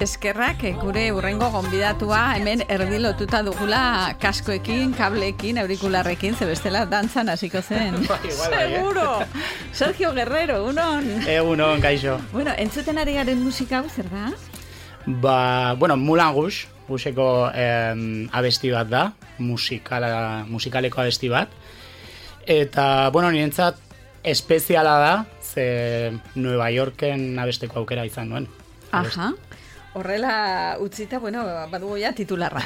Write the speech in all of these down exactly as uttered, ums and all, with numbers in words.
Eskerrak gure urrengo gonbidatua hemen erdi lotuta dugula kaskoekin, kableekin, aurikularrekin, ze bestela dantzan hasiko zen. Seguro! Sergio Guerrero, unon! Egunon, kaixo. Bueno, entzuten ari garen musika hau, zer da? Ba, bueno, Moulin Rouge, Rouge-eko eh, abesti bat da, musikala, musikaleko abesti bat. Eta, bueno, nirentzat espeziala da, ze Nueva Yorken abesteko aukera izan nuen. Aha. Horrela utzita, bueno, badugu ja titularra.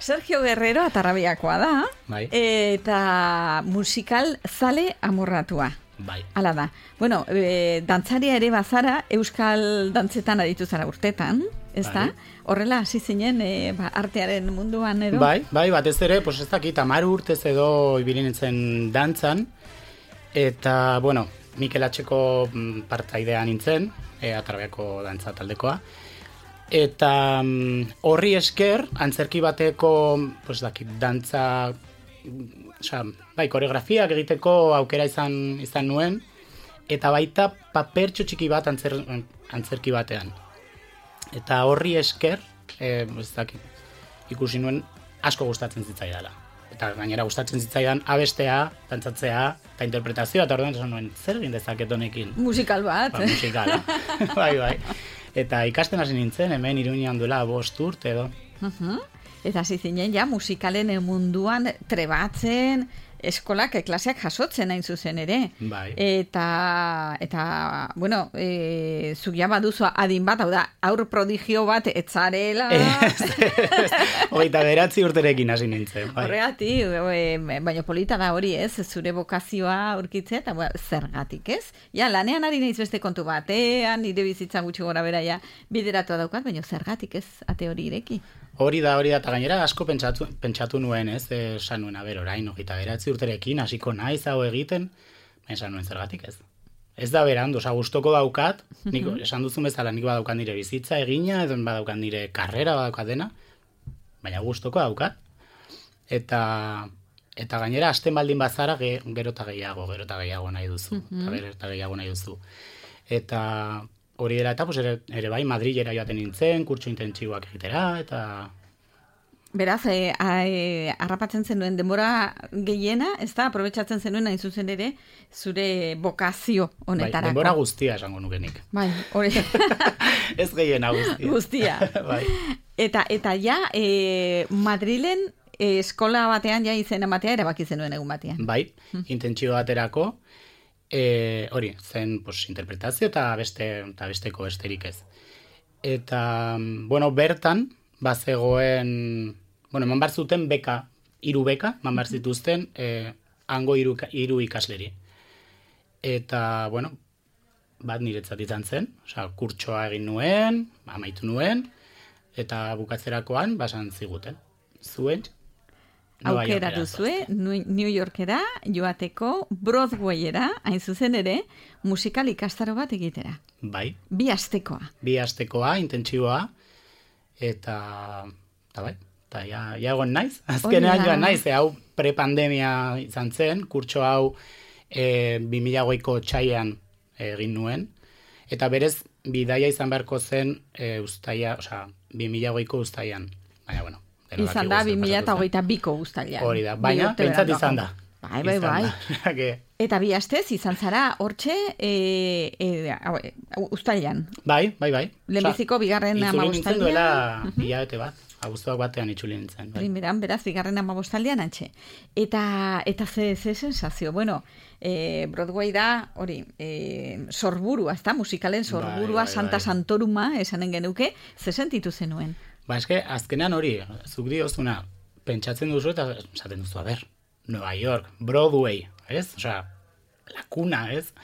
Sergio Guerrero atarrabiakoa da, bai. Eta musikal zale amorratua. Bai. Hala da. Bueno, e, dantzaria ere bazara, euskal dantzetan aditu zara urtetan, ez da? Bai. Horrela hasi zinen e, ba, artearen munduan edo? Bai, bai, batez ere, pues ez dakit, hamar urtez edo ibili nintzen dantzan, eta, bueno, Mikel Atxeko partaidea nintzen, e, atarrabiako dantza taldekoa, eta horri esker, antzerki bateko, pues dakit, dantza, osea, bai, koreografiak egiteko aukera izan izan nuen, eta baita papertxo txiki bat antzer, antzerki batean. Eta horri esker, e, ez dakit, ikusi nuen asko gustatzen zitzaidala. Eta gainera gustatzen zitzaidan abestea, dantzatzea, eta interpretazioa, eta orduan esan nuen, zer egin dezaket honekin? Musikal bat. Ba, musikala. bai, bai. Eta ikasten hasi nintzen, hemen Iruñean duela bost urte edo. Uh-huh. Eta hasi zinen ja musikalen munduan trebatzen, eskolak klaseak jasotzen hain zuzen ere. Bai. Eta, eta bueno, e, zuk ja baduzu adin bat, hau da, aur prodigio bat etzarela. Hogeita beratzi urterekin hasi nintzen. Bai. Horregatik, e, baina polita da hori ez, zure bokazioa aurkitzea, eta bueno, zergatik ez? Ja, lanean ari naiz beste kontu batean, nire bizitza gutxi gora bera ja bideratua daukat, baina zergatik ez ate hori ireki? Hori da, hori da, eta gainera asko pentsatu, pentsatu nuen, ez, esan nuen, aber, orain, hogeita beratzi urterekin, hasiko naiz hau egiten, esan nuen zergatik ez. Ez da berandu, oza, gustoko daukat, nik, esan duzu bezala, nik badaukat nire bizitza egina, edo badaukat nire karrera badaukat dena, baina gustoko daukat. Eta, eta gainera, hasten baldin bazara, ge, gero eta gehiago, gero eta gehiago nahi duzu, eta gero eta gehiago nahi duzu. Eta hori dela, eta pues, ere, ere bai, Madrilera joaten nintzen, kurtso intentsiboak egitera, eta... Beraz, e, e, harrapatzen zenuen denbora gehiena, ez da, aprobetsatzen zenuen hain zuzen ere, zure bokazio honetarako. Bai, denbora guztia esango nukenik. Bai, hori. Ez gehiena guztia. Guztia. Bai. Eta, eta ja, e, Madrilen e, eskola batean ja izena batea erabaki zenuen egun batean. Bai, intentsio baterako, E, hori, zen pues, interpretazio eta beste eta besteko besterik ez. Eta, bueno, bertan, bazegoen, bueno, eman bar zuten beka, hiru beka, eman bar zituzten, e, hango hiru, hiru ikasleri. Eta, bueno, bat niretzat izan zen, osea, kurtsoa egin nuen, amaitu nuen, eta bukatzerakoan, basan ziguten. Zuen, aukera duzue, New Yorkera joateko Broadwayera, hain zuzen ere, musikal ikastaro bat egitera. Bai. Bi astekoa. Bi astekoa, intentsiboa, eta, eta bai, eta ja, ja egon naiz. Azkenean joan naiz, e, hau prepandemia izan zen, kurtso hau e, bi mila hogeiko txaian egin nuen, eta berez, bidaia izan beharko zen e, ustaia, osea, bi mila hogeiko ustaian. Baina, bueno, izan da, bi mila hogeita biko uztailan. Hori da, baina, pentsat izan da. Bai, bai, bai. Eta bi astez, izan zara, hortxe, e, e, uztailan. Bai, bai, bai. Lehenbiziko, bigarren amabostaldean. Itzuli nintzen duela, hilabete bat. Abuztuak batean itzuli nintzen. Bai. Primeran, beraz, bigarren amabostaldean antxe. Eta, eta ze, ze sensazio. Bueno, e, Broadway da, hori, e, sorburua, ez da, musikalen sorburua, bai, bai, Santa bai. Santoruma, esanen genuke, ze sentitu zenuen? Ba, eske, azkenean hori, zuk diozuna, pentsatzen duzu eta esaten duzu, a ber, Nueva York, Broadway, ez? Osea, la cuna, ez?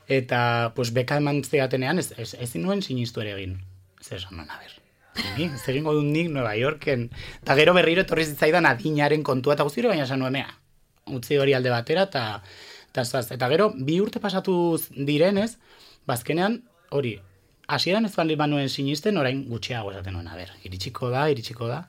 Eta, pues, beka eman zidatenean, ez, ez, ez nuen sinistu ere egin. Ez esan nuen, a ber, ni, ez egingo dut nik Nueva Yorken. Eta gero berriro etorri zitzaidan adinaren kontua, eta guztiro baina esan nuen, mea, utzi hori alde batera, eta, eta, eta gero, bi urte pasatu direnez, bazkenean, hori, hasieran ez baldin banuen sinisten, orain gutxiago esaten nuen, a ber, iritsiko da, iritsiko da,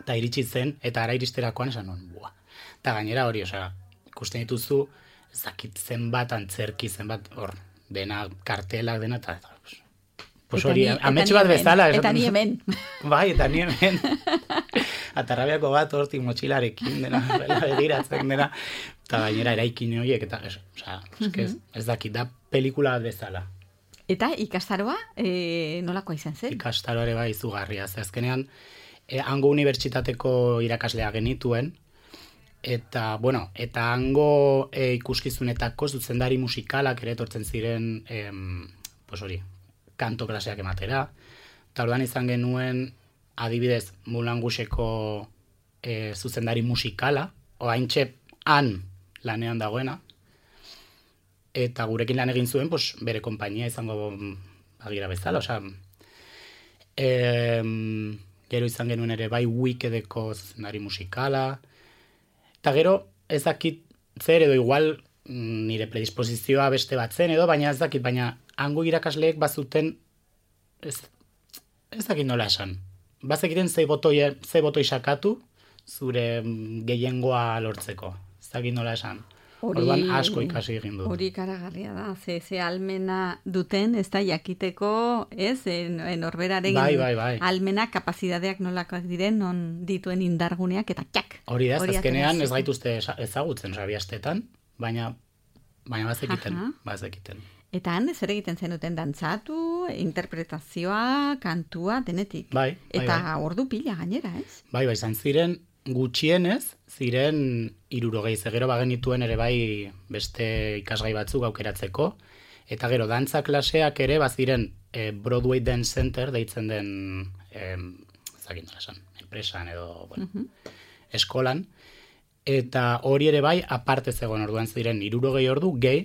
eta iritsi zen, eta ara iristerakoan esan nuen, bua. Eta gainera hori, osea, ikusten dituzu, zakit zenbat antzerki, zenbat, hor, dena, kartelak dena, eta, eta Pues hori, ametxe bat bezala. Eta ni hemen. Bai, eta ni hemen. Atarrabiako bat hortik motxilarekin dena, begiratzen dena. Eta gainera eraikin horiek, eta ez, oza, ez, ez, ez dakit, da pelikula bat bezala. Eta ikastaroa, e, nolakoa izan zen? Ikastaroa ere bai izugarria. Ze azkenean, e, hango unibertsitateko irakaslea genituen, eta, bueno, eta hango e, ikuskizunetako zuzendari musikalak ere etortzen ziren, em, pues hori, kanto klaseak ematera. Eta orduan izan genuen, adibidez, Moulin Rouge-eko e, zuzendari musikala, oaintxe han lanean dagoena, eta gurekin lan egin zuen, pues, bere konpainia izango bagira bezala, osea, em, gero izan genuen ere bai Wickedeko zuzendari musikala, eta gero ez dakit zer edo igual nire predisposizioa beste bat zen edo, baina ez dakit, baina hango irakasleek bazuten, ez, ez dakit nola esan, bazekiten ze botoi, ze botoi sakatu zure gehiengoa lortzeko, ez dakit nola esan. Orduan asko ikasi egin du. Hori karagarria da, ze, ze almena duten, ez da jakiteko, ez, norberaren bai, bai, bai. almena, kapazidadeak nolakoak diren, non dituen indarguneak, eta txak. Hori da, azkenean ez gaituzte ezagutzen, sabiastetan, baina, baina bazekiten, bazekiten. Eta han, zer egiten zenuten dantzatu, interpretazioa, kantua, denetik. Bai, bai, eta bai. ordu pila gainera, ez? Bai, bai, izan ziren, gutxienez, ziren hirurogei, ze gero bagenituen ere bai beste ikasgai batzuk aukeratzeko, eta gero dantza klaseak ere baziren e, Broadway Dance Center deitzen den e, ezakin nola esan, enpresan edo bueno, uh-huh. eskolan, eta hori ere bai aparte zegoen orduan ziren hirurogei ordu gehi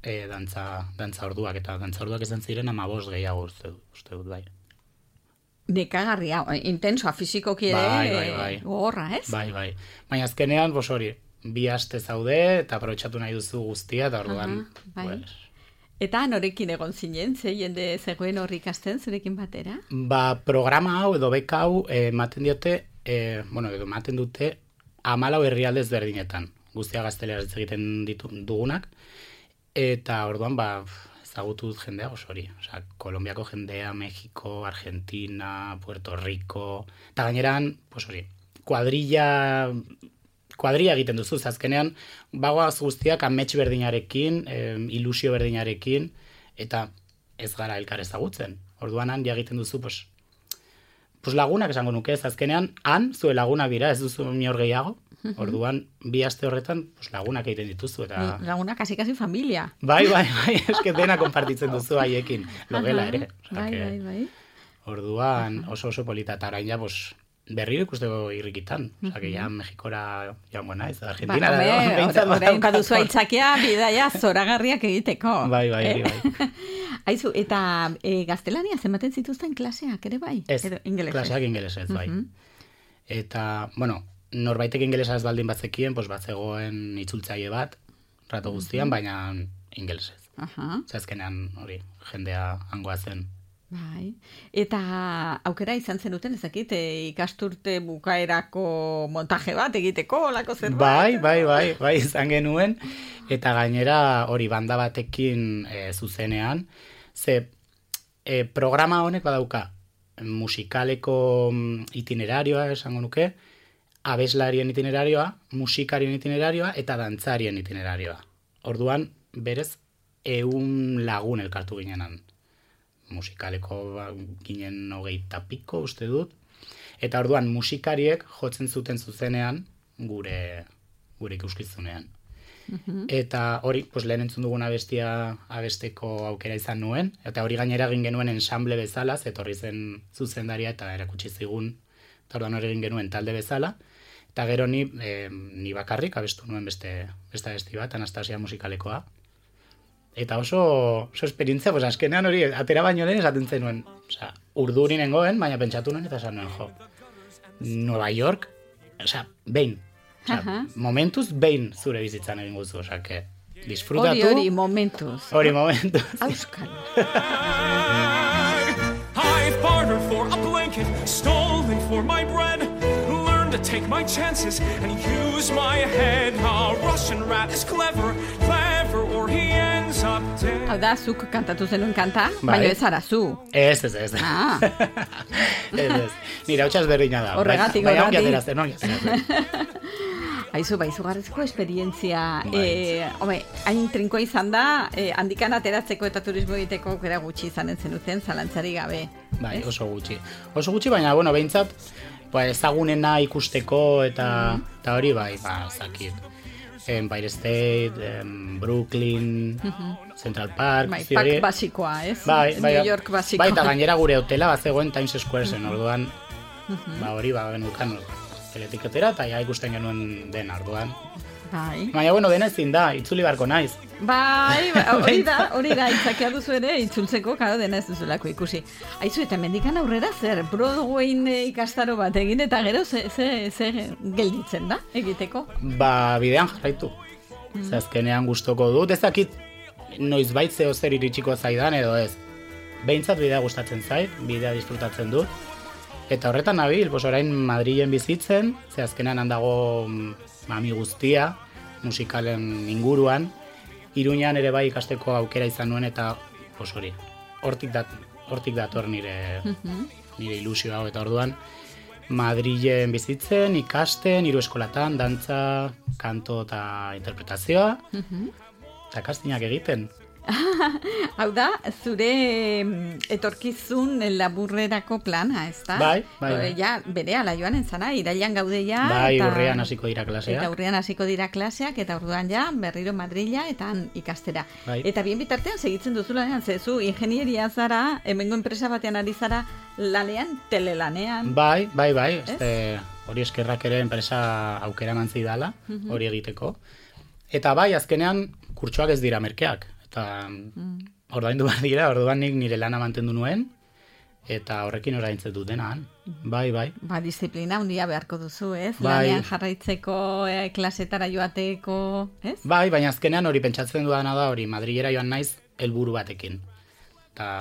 e, dantza, dantza orduak, eta dantza orduak izan ziren hamabost gehiago uste, uste dut bai. Nekagarria, intensoa, fizikoki ere, bai, bai, bai. gogorra, ez? Bai, bai. Baina azkenean, bos hori, bi aste zaude, eta aprobetxatu nahi duzu guztia, eta orduan, Aha, bai. pues... Eta norekin egon zinen, ze jende zegoen horri ikasten zurekin batera? Ba, programa hau edo beka hau ematen diote, eh, bueno, edo ematen dute hamalau herrialde ezberdinetan, guztia gazteleraz egiten ditu, dugunak, eta orduan, ba, ezagutu dut jendea oso hori. Osea, Kolombiako jendea, Mexiko, Argentina, Puerto Rico, eta gaineran, pues hori, kuadrilla, kuadrilla egiten duzu, azkenean, bagoaz guztiak amets berdinarekin, eh, ilusio berdinarekin, eta ez gara elkar ezagutzen. Orduan han, ja egiten duzu, pues, pues lagunak esango nuke, ez azkenean, han, zue lagunak dira, ez duzu inor gehiago, orduan, bi aste horretan, pues, lagunak egiten dituzu. Eta... Lagunak kasi-kasi familia. Bai, bai, bai, eske dena konpartitzen duzu haiekin, logela ere. Bai, bai, bai. Orduan, oso oso polita, eta orain ja, pues, berriro ikusteko irrikitan. Osa, que ja Mexikora joango naiz, Argentina. Ba, orain baduzu aitzakia, bidaia zoragarriak egiteko. Bai, bai, eh? bai. Aizu, eta e, gaztelania zenbaten zituzten klaseak, ere bai? Ez, Edo, ingelesez. klaseak ingelesez, bai. Uh-huh. Eta, bueno, norbaitek ingelesa ez baldin batzekien, pues batzegoen itzultzaile bat, rato guztian, uh-huh. baina ingelesez. Uh-huh. Zazkenean, hori, jendea hangoa zen. Bai. Eta aukera izan zenuten, ezakit, ikasturte bukaerako montaje bat egiteko, olako zerbait? Bai, bai, bai, bai, izan genuen, eta gainera hori banda batekin e, zuzenean, ze e, programa honek badauka musikaleko itinerarioa, esango nuke, abeslarien itinerarioa, musikarien itinerarioa, eta dantzarien itinerarioa. Orduan, berez, ehun lagun elkartu ginenan. Musikaleko ba, ginen hogeita piko, uste dut. Eta orduan musikariek jotzen zuten zuzenean gure, gure ikuskizunean. Uh-huh. Eta hori, pues, lehen entzun dugun abestia abesteko aukera izan nuen, eta hori gainera egin genuen ensamble bezala, zetorri zen zuzendaria eta erakutsi zigun, eta orduan hori egin genuen talde bezala, eta gero ni, eh, ni bakarrik abestu nuen beste, beste abesti bat, Anastasia musikalekoa. Eta oso, oso esperientzia, pues, azkenean hori, atera baino lehen esaten zenuen. Osa, urduri nengoen, baina pentsatu nuen, eta esan nuen, jo, Nueva York, osa, behin. Osa, uh-huh. momentuz, behin zure bizitzan egin guzu, osa, que disfrutatu. Hori, hori, momentuz. Hori, momentuz. Auskal. I've bartered for a blanket, stolen for my bread, learned to take my chances and use my head. A Russian rat is clever, clever, or he ends up dead. Hau da, zuk kantatu zenuen kanta, Bai. baina ez zara zu. Ez, ez, ez. Ah. Ez, ez. Nire hau berdina da. Horregatik, Bai, horregatik. Baina ongi aterazen, ongi aterazen. Aizu, bai, izugarrizko esperientzia. Bai. Eh, home, hain trinkoa izan da, eh, handikan ateratzeko eta turismo egiteko aukera gutxi izanen zenuten, zalantzari gabe. Bai, ez? oso gutxi. Oso gutxi, baina, bueno, behintzat, ba, ezagunena ikusteko eta, Mm-hmm. eta hori, bai, ba, zakit. Empire State, em, Brooklyn, Central Park, Bai, zi pak hori. basikoa, ez? Bai, bai, New York basikoa. bai, eta gainera gure hotela bat zegoen Times Square zen, orduan, ba, hori, ba, genukan, teletiketera, eta ja ikusten genuen den, orduan. Bai. Baina, bueno, dena ezin da, itzuli barko naiz. Bai, ba, hori da, hori da, itzakia duzu ere, itzultzeko, karo, dena ez duzulako ikusi. Aizu, eta mendikan aurrera zer, Broadwayn eh, ikastaro bat egin, eta gero ze, ze, ze gelditzen da, egiteko? Ba, bidean jarraitu. Mm. Ze azkenean gustoko dut, ezakit noiz bait zeo zer iritsiko zaidan edo ez. Behintzat bidea gustatzen zait, bidea disfrutatzen dut. Eta horretan nabil, pos orain Madrilen bizitzen, ze azkenean handago mami guztia, musikalen inguruan, Iruñan ere bai ikasteko aukera izan nuen eta pos hori, hortik, dat, hortik dator nire, nire ilusio hau eta orduan, Madrilen bizitzen, ikasten, hiru eskolatan, dantza, kanto eta interpretazioa, eta kastinak egiten. Hau da, zure mm, etorkizun laburrerako plana, ez da? Bai, bai, bai. Ja, bere ala joan entzana, irailan gaude ja. Bai, eta, urrian hasiko dira klaseak. Eta urrian hasiko dira klaseak, eta orduan ja, berriro Madrila eta han ikastera. Bai. Eta bien bitartean segitzen duzulanean, zezu ingenieria zara, hemengo enpresa batean ari zara lanean, telelanean. Bai, bai, bai, este, hori eskerrak ere enpresa aukera eman zidala, hori egiteko. Eta bai, azkenean, kurtsoak ez dira merkeak. Eta mm. ordaindu behar dira, orduan nik nire lana mantendu nuen, eta horrekin oraintzen dut denan. Bai, bai. Ba, disiplina handia beharko duzu, ez? Bai. Lanean jarraitzeko, eh, klasetara joateko, ez? Bai, baina azkenean hori pentsatzen dudana da, hori Madrilera joan naiz helburu batekin. Eta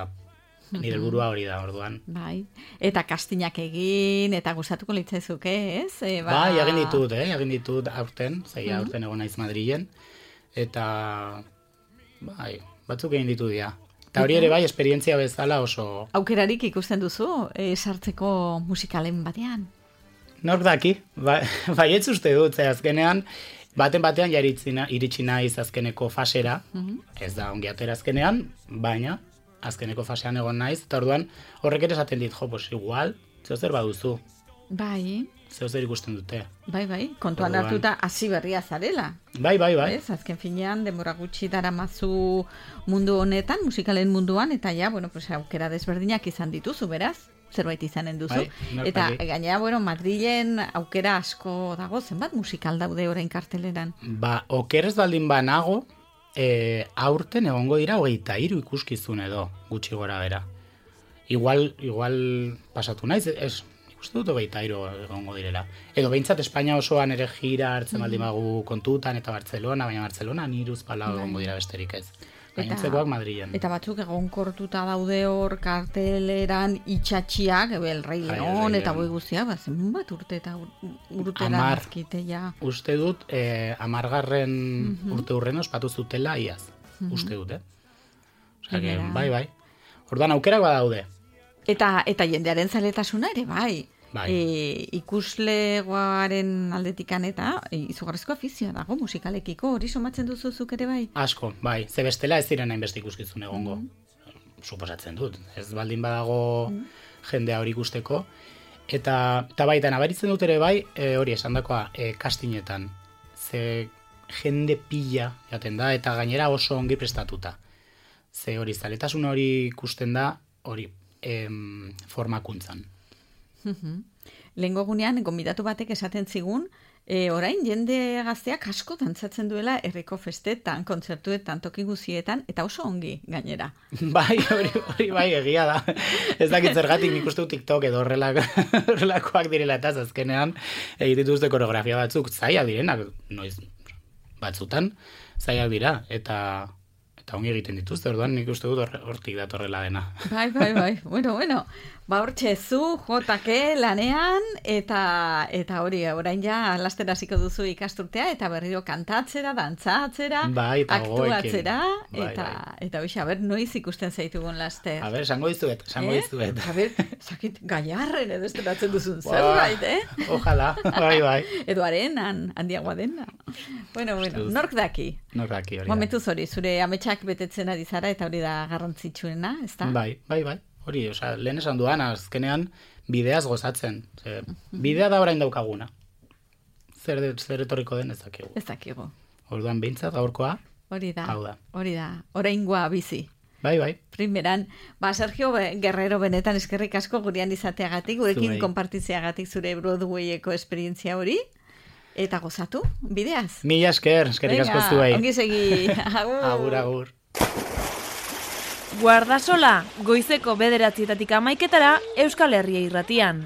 nire helburua hori da, orduan. Bai, eta kastinak egin, eta gustatuko litzaizuke, ez? E, ba... Bai, egin ditut, eh? egin ditut aurten, zei aurten egon naiz Madrilen, eta bai, batzuk egin ditu dira. Eta hori ere bai, esperientzia bezala oso... Aukerarik ikusten duzu, e, sartzeko musikalen batean? Nork daki, ba, bai ez uste dut, ze azkenean, baten batean ja iritsi na- iritsi naiz azkeneko fasera, ez da ongi atera azkenean, baina azkeneko fasean egon naiz, eta orduan horrek ere esaten dit, jo, pues igual, zeo zer baduzu, Bai, zeo zer ikusten dute. bai, bai, kontuan Orduan. hartuta hasi berria zarela. Bai, bai, bai. Ez, azken finean, denbora gutxi daramazu mundu honetan, musikalen munduan, eta ja, bueno, pues, aukera desberdinak izan dituzu, beraz, zerbait izanen duzu. Bai, nork eta daki. gainera, bueno, Madrilen aukera asko dago, zenbat musikal daude orain karteleran. Ba, okerez baldin banago, e, aurten egongo dira hogeita hiru ikuskizun edo, gutxi gora bera. Igual, igual pasatu naiz, ez, uste dut hogeita hiru egongo direla. Edo behintzat Espainia osoan ere gira hartzen baldin bagu kontutan, eta Barcelona, baina Barcelona niruz palau egongo dira besterik ez. Gainotzekoak Madrilen. Eta batzuk egonkortuta daude hor karteleran itxatxiak, El Rei Bai, El León, Rei eta León. boi guztiak, ba, zenbat urte eta ur- urtera Hamar. azkite ja. Uste dut, eh, amargarren urte hurren ospatu zutela iaz. Uste dut, eh? Osea, que, Gainera. bai, bai. Orduan aukerak badaude. Eta, eta jendearen zaletasuna ere, bai. Bai. E, ikuslegoaren aldetikan eta e, izugarrizko afizioa dago musikalekiko, hori somatzen duzu zuk ere bai? Asko, bai. Ze bestela ez ziren hainbeste ikuskizun egongo. Suposatzen dut. Ez baldin badago jendea hori ikusteko. Eta, eta baita, nabaritzen dut ere bai, e, hori esandakoa, e, kastinetan. Ze jende pila jaten da, eta gainera oso ongi prestatuta. Ze hori, zaletasun hori ikusten da, hori, em, formakuntzan. Lehengo gunean, gonbidatu batek esaten zigun, e, orain jende gazteak asko dantzatzen duela herriko festetan, kontzertuetan, toki guzietan, eta oso ongi gainera. Bai, hori, hori bai egia da. Ez dakit zergatik nik uste dut TikTok edo horrelak, horrelakoak direla eta azkenean egiten dituzte koreografia batzuk zaila direnak, noiz batzutan zailak dira, eta eta ongi egiten dituzte, orduan nik uste dut hortik datorrela dena. Bai, bai, bai, bueno, bueno, ba hortxe zu, jotake lanean, eta eta hori, orain ja, laster hasiko duzu ikasturtea, eta berriro kantatzera, dantzatzera, bai, eta aktuatzera, bai, eta, bai. eta hoxe, a ber, noiz ikusten zaitugun laster. A ber, esango dizuet, esango eh? dizuet. A ber, sakit, gaiarren edo esteratzen duzun zerbait, eh? Ojalá, bai, bai. Edo arenan, handiagoa dena. Bueno, bueno, nork daki? Nork daki hori. Momentuz hori, zure ametsak betetzen ari zara, eta hori da garrantzitsuena, ezta? Bai, bai, bai. Hori, osea, lehen esan duan, azkenean bideaz gozatzen. Ze, bidea da orain daukaguna. Zer, de, zer etorriko den ez dakigu. Ez dakigu. Orduan behintzat gaurkoa, Hori da, hau da. hori da, oraingoa bizi. Bai, bai. Primeran, ba, Sergio Guerrero benetan eskerrik asko gurean izateagatik, gurekin Zuei. konpartitzeagatik zure Broadwayeko esperientzia hori, eta gozatu, bideaz. Mila esker, eskerrik asko zuei. Ongi segi. Agur. Agur, agur. Guardasola, goizeko bederatzietatik amaiketara Euskal Herria irratian.